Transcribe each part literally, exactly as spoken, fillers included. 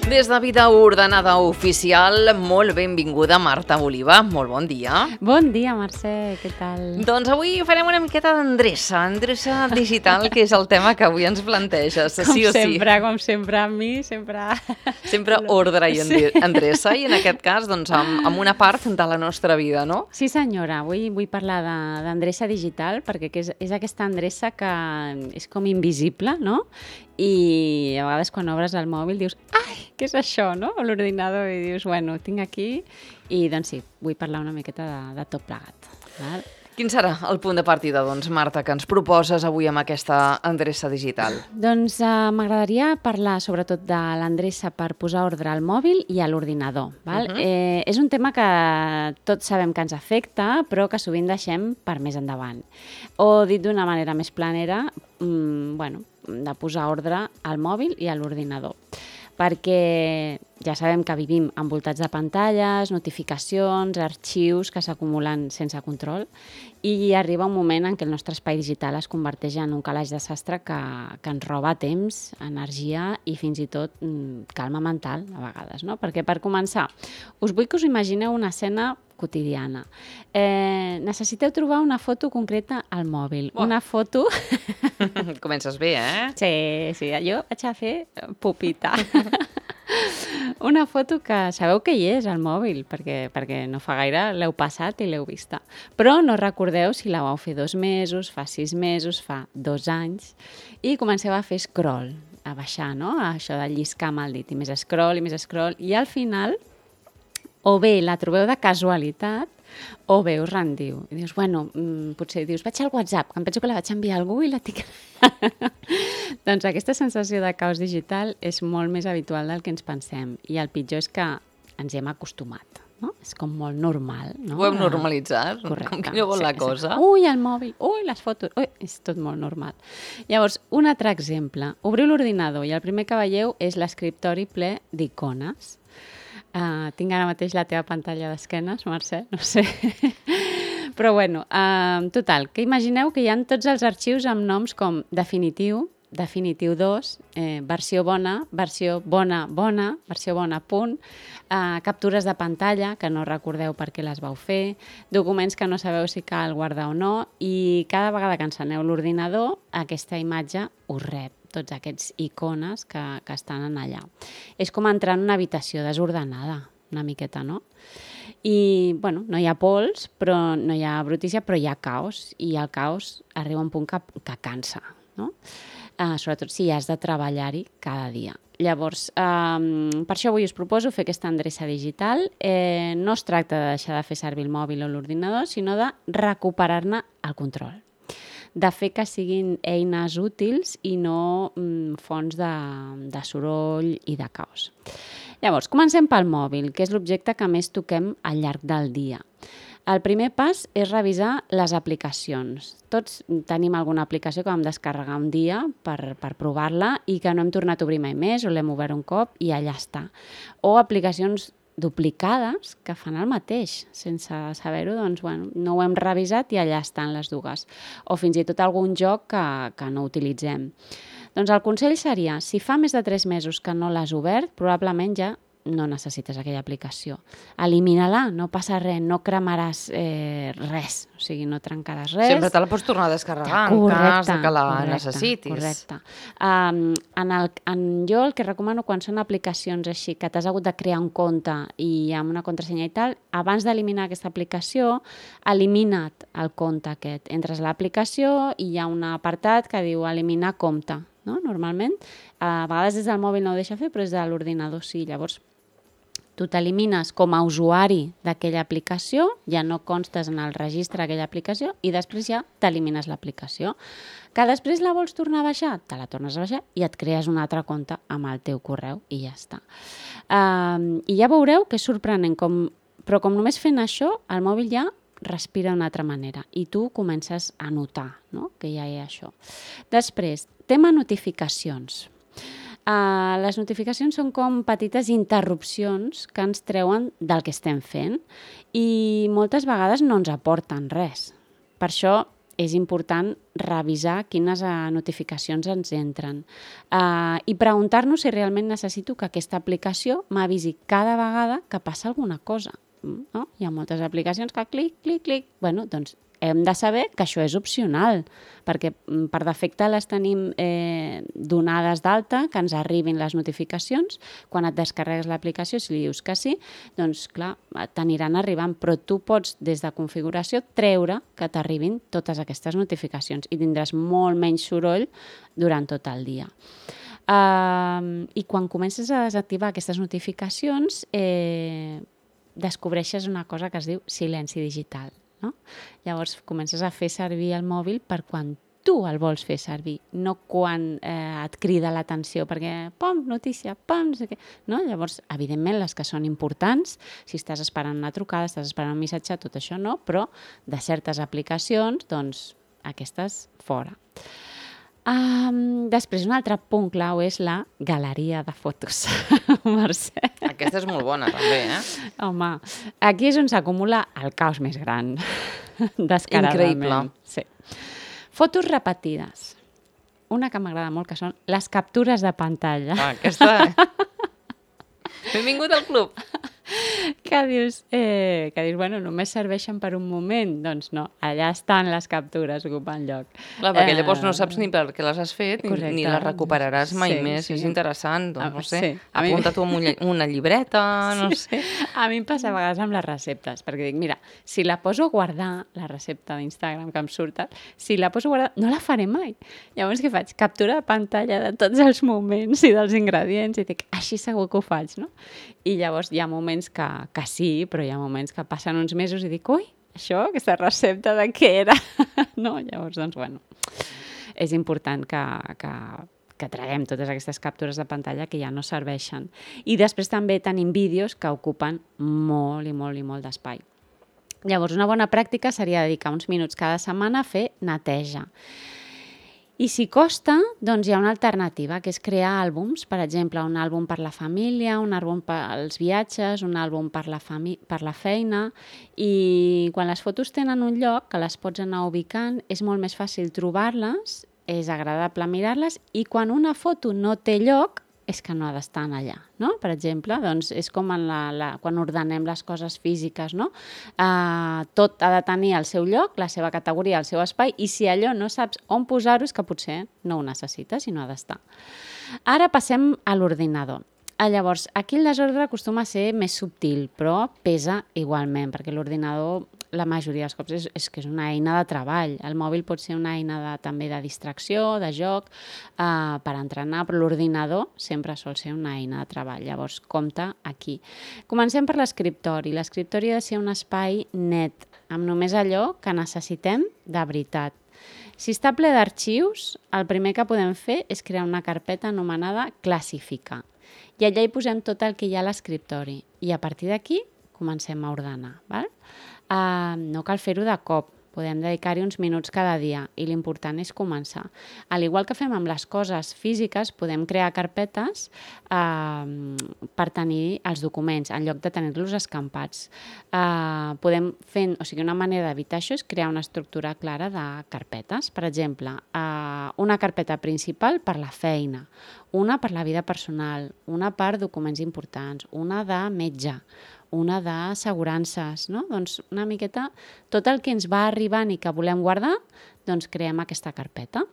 Des de Vida Ordenada Oficial, molt benvinguda Marta Oliva, molt bon dia. Bon dia, Mercè, què tal? Doncs avui farem una miqueta d'endreça, endreça digital, que és el tema que avui ens planteges, com sí o sí. Com sempre, com sempre, amb mi, sempre... Sempre ordre i endreça, i en aquest cas, doncs, amb, amb una part de la nostra vida, no? Sí, senyora, avui vull parlar d'endreça digital, perquè és, és aquesta endreça que és com invisible, no? I a vegades quan obres el mòbil dius, ai, què és això, no? A l'ordinador, i dius, bueno, tinc aquí, i doncs sí, vull parlar una miqueta de, de tot plegat. Val? Quin serà el punt de partida, doncs, Marta, que ens proposes avui amb aquesta endreça digital? Doncs eh, m'agradaria parlar sobretot de l'endreça per posar ordre al mòbil i a l'ordinador. Uh-huh. eh, és un tema que tots sabem que ens afecta, però que sovint deixem per més endavant. O dit d'una manera més planera, mmm, bueno, de posar ordre al mòbil i a l'ordinador. Perquè ja sabem que vivim envoltats de pantalles, notificacions, arxius que s'acumulen sense control, i arriba un moment en què el nostre espai digital es converteix en un calaix de sastre que, que ens roba temps, energia i fins i tot mm, calma mental, a vegades, no? Perquè, per començar, us vull que us imagineu una escena quotidiana. Eh, necessiteu trobar una foto concreta al mòbil. Oh. Una foto... Comences bé, eh? Sí, sí, jo vaig a fer pupita. Una foto que sabeu que hi és al mòbil, perquè, perquè no fa gaire l'heu passat i l'heu vista. Però no recordeu si la vau fer dos mesos, fa sis mesos, fa dos anys, i comenceu a fer scroll, a baixar, no? Això de lliscar amb el dit, i més scroll, i més scroll, i al final o bé la trobeu de casualitat o bé us rendiu. I dius, bueno, mmm, potser dius, vaig al WhatsApp, que em penso que la vaig enviar a algú i la tinc... Doncs aquesta sensació de caos digital és molt més habitual del que ens pensem. I el pitjor és que ens hi hem acostumat, no? És com molt normal, no? Ho hem normalitzat, correcte, com que no vol sí, la cosa. Sí. Ui, el mòbil, ui, les fotos, ui, és tot molt normal. Llavors, un altre exemple. Obriu l'ordinador i el primer que veieu és l'escriptori ple d'icones. Uh, tinc ara mateix la teva pantalla d'esquenes, Mercè, no sé. Però bueno, uh, total, que imagineu que hi ha tots els arxius amb noms com definitiu, definitiu dos, eh, versió bona, versió bona, bona, versió bona, punt, uh, captures de pantalla que no recordeu per què les vau fer, documents que no sabeu si cal guardar o no, i cada vegada que enceneu l'ordinador, aquesta imatge us rep tots aquests icones que, que estan allà. És com entrar en una habitació desordenada, una miqueta, no? I, bueno, no hi ha pols, però no hi ha brutícia, però hi ha caos, i el caos arriba a un punt que, que cansa, no? Uh, sobretot si has de treballar-hi cada dia. Llavors, um, per això avui us proposo fer aquesta endreça digital. Eh, no es tracta de deixar de fer servir el mòbil o l'ordinador, sinó de recuperar-ne el control. De fer que siguin eines útils i no mm, fonts de, de soroll i de caos. Llavors, comencem pel mòbil, que és l'objecte que més toquem al llarg del dia. El primer pas és revisar les aplicacions. Tots tenim alguna aplicació que vam descarregar un dia per, per provar-la i que no hem tornat a obrir mai més o l'hem obert un cop i allà està. O aplicacions duplicades que fan el mateix, sense saber-ho, doncs, bueno, no ho hem revisat i allà estan les dues. O fins i tot algun joc que, que no utilitzem. Doncs el consell seria, si fa més de tres mesos que no l'has obert, probablement ja no necessites aquella aplicació. Elimina-la, no passa res, no cremaràs eh, res, o sigui, no trencaràs res. Sempre te la pots tornar a descarregar en cas que la correcte, necessitis. Correcte. Um, en el, en jo el que recomano quan són aplicacions així, que t'has hagut de crear un compte i amb una contrasenya i tal, abans d'eliminar aquesta aplicació, elimina't el compte aquest. Entres a l'aplicació i hi ha un apartat que diu eliminar compte, no? Normalment. A vegades des del mòbil no ho deixa fer, però des de l'ordinador sí. Llavors, tu t'elimines com a usuari d'aquella aplicació, ja no constes en el registre d'aquella aplicació i després ja t'elimines l'aplicació. Que després la vols tornar a baixar, te la tornes a baixar i et crees un altre compte amb el teu correu i ja està. Um, I ja veureu que és sorprenent, com, però com només fent això, el mòbil ja respira d'una altra manera i tu comences a notar, no?, que ja hi ha això. Després, tema notificacions. Uh, les notificacions són com petites interrupcions que ens treuen del que estem fent i moltes vegades no ens aporten res. Per això és important revisar quines uh, notificacions ens entren uh, i preguntar-nos si realment necessito que aquesta aplicació m'avisi cada vegada que passa alguna cosa. No? Hi ha moltes aplicacions que clic, clic, clic... Bueno, doncs hem de saber que això és opcional, perquè per defecte les tenim eh, donades d'alta, que ens arribin les notificacions. Quan et descarregues l'aplicació, si li dius que sí, doncs clar, t'aniran arribant, però tu pots des de configuració treure que t'arribin totes aquestes notificacions i tindràs molt menys soroll durant tot el dia. Uh, I quan comences a desactivar aquestes notificacions, eh, descobreixes una cosa que es diu silenci digital. No? Llavors comences a fer servir el mòbil per quan tu el vols fer servir, no quan eh, et crida l'atenció, perquè pom, notícia, pom, no sé què. No? Llavors, evidentment, les que són importants, si estàs esperant una trucada, estàs esperant un missatge, tot això no, però de certes aplicacions, doncs, aquestes fora. Um, després, un altre punt clau és la galeria de fotos. Mercè. Aquesta és molt bona, també, eh? Home, aquí és on s'acumula el caos més gran. Descaradament. Increïble. Sí. Fotos repetides. Una que m'agrada molt, que són les captures de pantalla. Ah, aquesta... Benvingut al club. Que dius, eh, que dius, bueno, només serveixen per un moment. Doncs no, allà estan les captures ocupant lloc. Clar, perquè llavors no saps ni per què les has fet, Correcte. ni les recuperaràs mai Sí, més. sí. És interessant, doncs, Ah, no sé, sí. A mi- apunta-t'ho amb un- una llibreta, no Sí, sé. sí. A mi em passa a vegades amb les receptes, perquè dic, mira, si la poso a guardar, la recepta d'Instagram que em surt, si la poso a guardar, no la faré mai. Llavors què faig? Captura de pantalla de tots els moments i dels ingredients i dic, així segur que ho faig, no? I llavors hi ha moments que, que sí, però hi ha moments que passen uns mesos i dic, ui, això, aquesta recepta de què era? No? Llavors, doncs, bueno, és important que, que, que traguem totes aquestes captures de pantalla que ja no serveixen. I després també tenim vídeos que ocupen molt i molt i molt d'espai. Llavors, una bona pràctica seria dedicar uns minuts cada setmana a fer neteja. I si costa, doncs hi ha una alternativa, que és crear àlbums, per exemple, un àlbum per la família, un àlbum per als viatges, un àlbum per la, fami- per la feina, i quan les fotos tenen un lloc que les pots anar ubicant, és molt més fàcil trobar-les, és agradable mirar-les, i quan una foto no té lloc, és que no ha d'estar allà, no? Per exemple, doncs és com en la, la, quan ordenem les coses físiques, no? Uh, tot ha de tenir el seu lloc, la seva categoria, el seu espai, i si allò no saps on posar-ho és que potser no ho necessites i no ha d'estar. Ara passem a l'ordinador. Ah, llavors, aquí el desordre acostuma a ser més subtil, però pesa igualment, perquè l'ordinador la majoria dels cops és, és que és una eina de treball. El mòbil pot ser una eina de, també de distracció, de joc, eh, per entrenar, però l'ordinador sempre sol ser una eina de treball. Llavors, compte aquí. Comencem per l'escriptori. L'escriptori ha de ser un espai net, amb només allò que necessitem de veritat. Si està ple d'arxius, el primer que podem fer és crear una carpeta anomenada classificar. I allà hi posem tot el que hi ha a l'escriptori. I a partir d'aquí comencem a ordenar. Val? Uh, no cal fer-ho de cop, podem dedicar-hi uns minuts cada dia i l'important és començar. Al igual que fem amb les coses físiques, podem crear carpetes uh, per tenir els documents, en lloc de tenir-los escampats. Uh, podem fer, o sigui, una manera d'evitar això és crear una estructura clara de carpetes. Per exemple, uh, una carpeta principal per la feina, una per la vida personal, una per documents importants, una de metge, una d'assegurances, no? Doncs una miqueta tot el que ens va arribant i que volem guardar, doncs creem aquesta carpeta.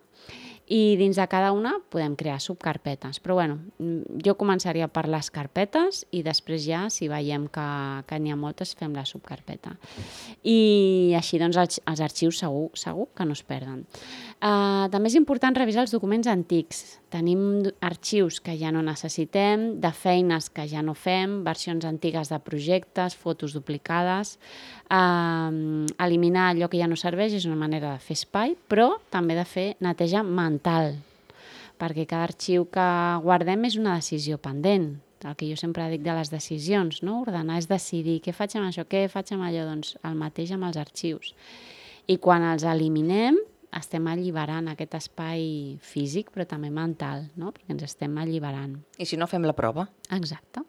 I dins de cada una podem crear subcarpetes. Però bueno, jo començaria per les carpetes i després ja, si veiem que, que n'hi ha moltes, fem la subcarpeta. I així doncs els, els arxius segur, segur que no es perden. Uh, també és important revisar els documents antics. Tenim arxius que ja no necessitem, de feines que ja no fem, versions antigues de projectes, fotos duplicades. Uh, eliminar allò que ja no serveix és una manera de fer espai, però també de fer neteja mental, perquè cada arxiu que guardem és una decisió pendent. El que jo sempre dic de les decisions, no? Ordenar és decidir què faig amb això, què faig amb allò, doncs el mateix amb els arxius. I quan els eliminem, estem alliberant aquest espai físic, però també mental, no? Perquè ens estem alliberant. I si no, fem la prova. Exacte.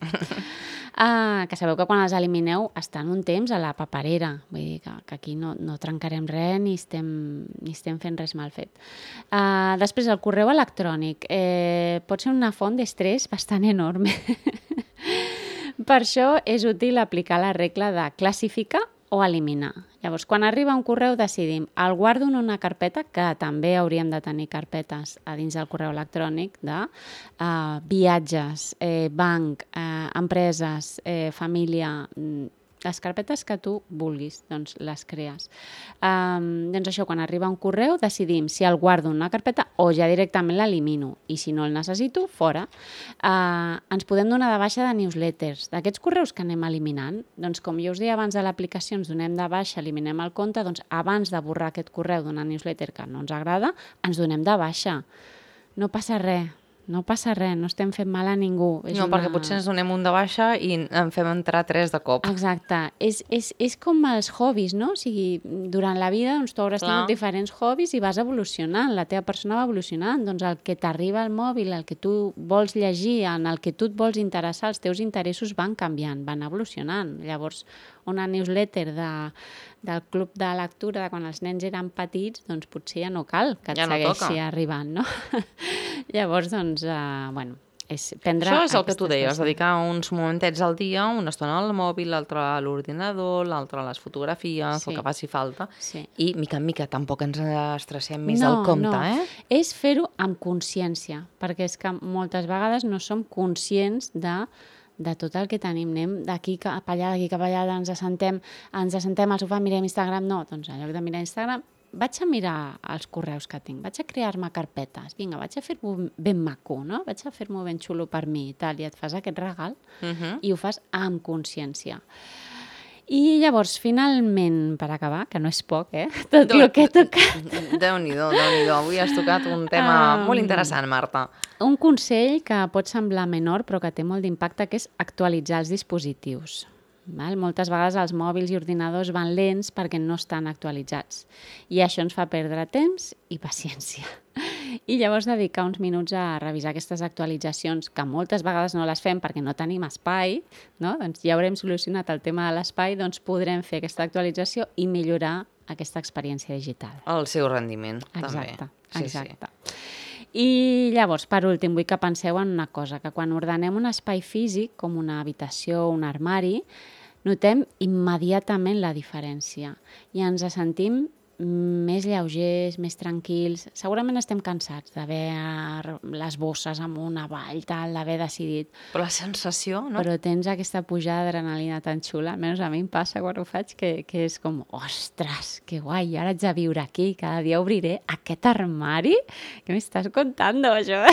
Uh, que sabeu que quan els elimineu estan un temps a la paperera, vull dir que, que aquí no, no trencarem res ni estem, ni estem fent res mal fet. Uh, després, el correu electrònic eh, pot ser una font d'estrès bastant enorme. Per això és útil aplicar la regla de classificar o eliminar. Llavors, quan arriba un correu decidim, el guardo en una carpeta, que també hauríem de tenir carpetes a dins del correu electrònic de uh, viatges, eh, banc, eh, empreses, eh, família, les carpetes que tu vulguis, doncs les crees. Um, doncs això, quan arriba un correu decidim si el guardo en una carpeta o ja directament l'elimino i si no el necessito, fora. Uh, ens podem donar de baixa de newsletters, d'aquests correus que anem eliminant. Doncs com jo us deia abans de l'aplicació, ens donem de baixa, eliminem el compte, doncs abans de borrar aquest correu d'una newsletter que no ens agrada, ens donem de baixa. No passa res. No passa res, no estem fent mal a ningú. És no, una... perquè potser ens donem un de baixa i en fem entrar tres de cop. Exacte. És, és, és com els hobbies, no? O sigui, durant la vida doncs, tu hauràs Clar. tingut diferents hobbies i vas evolucionant, la teva persona va evolucionant. Doncs el que t'arriba al mòbil, el que tu vols llegir, en el que tu et vols interessar, els teus interessos van canviant, van evolucionant. Llavors, una newsletter de, del club de lectura de quan els nens eren petits, doncs potser ja no cal que et ja no segueixi toca. arribant, no? Llavors, doncs, uh, bueno, és prendre... Això és el que tu deies, dedicar uns momentets al dia, una estona al mòbil, l'altra a l'ordinador, l'altra a les fotografies, sí. el que faci falta. Sí. I, mica en mica, tampoc ens estressem més no, del compte, no. eh? És fer-ho amb consciència, perquè és que moltes vegades no som conscients de de tot el que tenim, anem d'aquí cap allà, d'aquí cap allà, ens assentem, ens assentem al sofà, mirem Instagram, no, doncs en lloc de mirar Instagram, vaig a mirar els correus que tinc, vaig a crear-me carpetes, vinga, vaig a fer-m'ho ben maco, no? Vaig a fer-m'ho ben xulo per mi i tal, i et fas aquest regal uh-huh. i ho fas amb consciència. I llavors, finalment, per acabar, que no és poc, eh? Tot el que he tocat. Déu-n'hi-do, Déu-n'hi-do. Avui has tocat un tema um, molt interessant, Marta. Un consell que pot semblar menor, però que té molt d'impacte, que és actualitzar els dispositius. Val? Moltes vegades els mòbils i ordinadors van lents perquè no estan actualitzats. I això ens fa perdre temps i paciència. I llavors dedicar uns minuts a revisar aquestes actualitzacions, que moltes vegades no les fem perquè no tenim espai, no? Doncs ja haurem solucionat el tema de l'espai, doncs podrem fer aquesta actualització i millorar aquesta experiència digital. El seu rendiment, exacte, també. Sí, exacte. Sí. I llavors, per últim, vull que penseu en una cosa, que quan ordenem un espai físic, com una habitació o un armari, notem immediatament la diferència i ens sentim més lleugers, més tranquils. Segurament estem cansats d'haver les bosses amunt, avall, tal, d'haver decidit. Però la sensació, no? Però tens aquesta pujada d'adrenalina tan xula, almenys a mi em passa quan ho faig, que, que és com, ostres, que guai, ara haig de viure aquí, cada dia obriré aquest armari? Què m'estàs contant, això?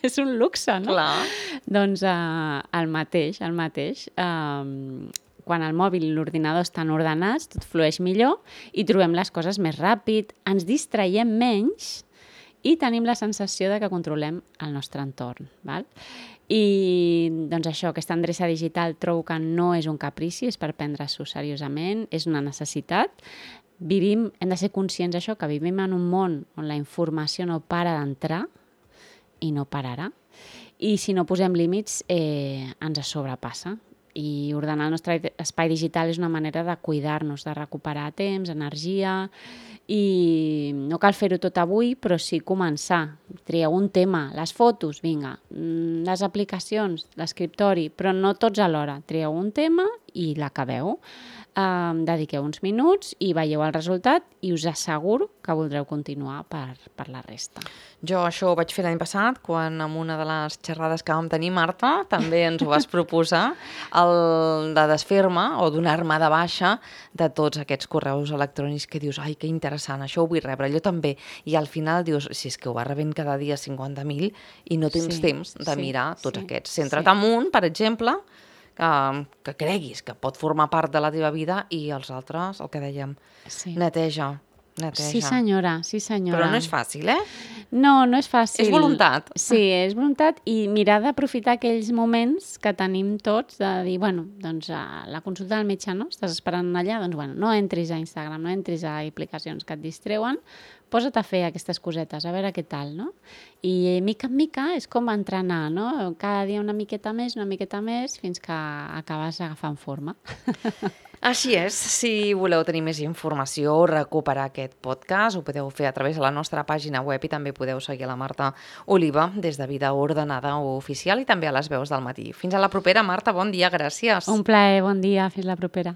És un luxe, no? Clar. Doncs uh, el mateix, el mateix. Um, quan el mòbil i l'ordinador estan ordenats, tot flueix millor i trobem les coses més ràpid, ens distraiem menys i tenim la sensació de que controlem el nostre entorn. Val? I doncs això, aquesta endreça digital trobo que no és un caprici, és per prendre-s'ho seriosament, és una necessitat. Vivim, hem de ser conscients d'això, que vivim en un món on la informació no para d'entrar i no pararà. I si no posem límits, eh, ens sobrepassa. I ordenar el nostre espai digital és una manera de cuidar-nos, de recuperar temps, energia, i no cal fer-ho tot avui, però sí començar. Trieu un tema, les fotos, vinga, les aplicacions, l'escriptori, però no tots alhora. Trieu un tema i l'acabeu. Um, dediqueu uns minuts i veieu el resultat i us asseguro que voldreu continuar per, per la resta. Jo això ho vaig fer l'any passat, quan en una de les xerrades que vam tenir, Marta, també ens ho vas proposar, el de desfer-me o donar-me de baixa de tots aquests correus electrònics que dius, ai, que interessant, això ho vull rebre, jo també. I al final dius, si és que ho va rebent cada dia cinquanta mil i no tens sí, temps de sí, mirar tots sí, aquests. Centra't sí. en un, per exemple, que, que creguis que pot formar part de la teva vida i els altres, el que dèiem, sí. neteja, neteja. Sí senyora, sí senyora. Però no és fàcil, eh? No, no és fàcil. És voluntat. Sí, és voluntat i mirar d'aprofitar aquells moments que tenim tots de dir, bueno, doncs a la consulta del metge, no? Estàs esperant allà, doncs bueno, no entris a Instagram, no entris a aplicacions que et distreuen, posa't a fer aquestes cosetes, a veure què tal, no? I mica en mica és com entrenar, no? Cada dia una miqueta més, una miqueta més, fins que acabes agafant forma. Així és, si voleu tenir més informació o recuperar aquest podcast, ho podeu fer a través de la nostra pàgina web i també podeu seguir la Marta Oliva des de Vida Ordenada Oficial i també a les veus del matí. Fins a la propera, Marta, bon dia, gràcies. Un plaer, bon dia, fins la propera.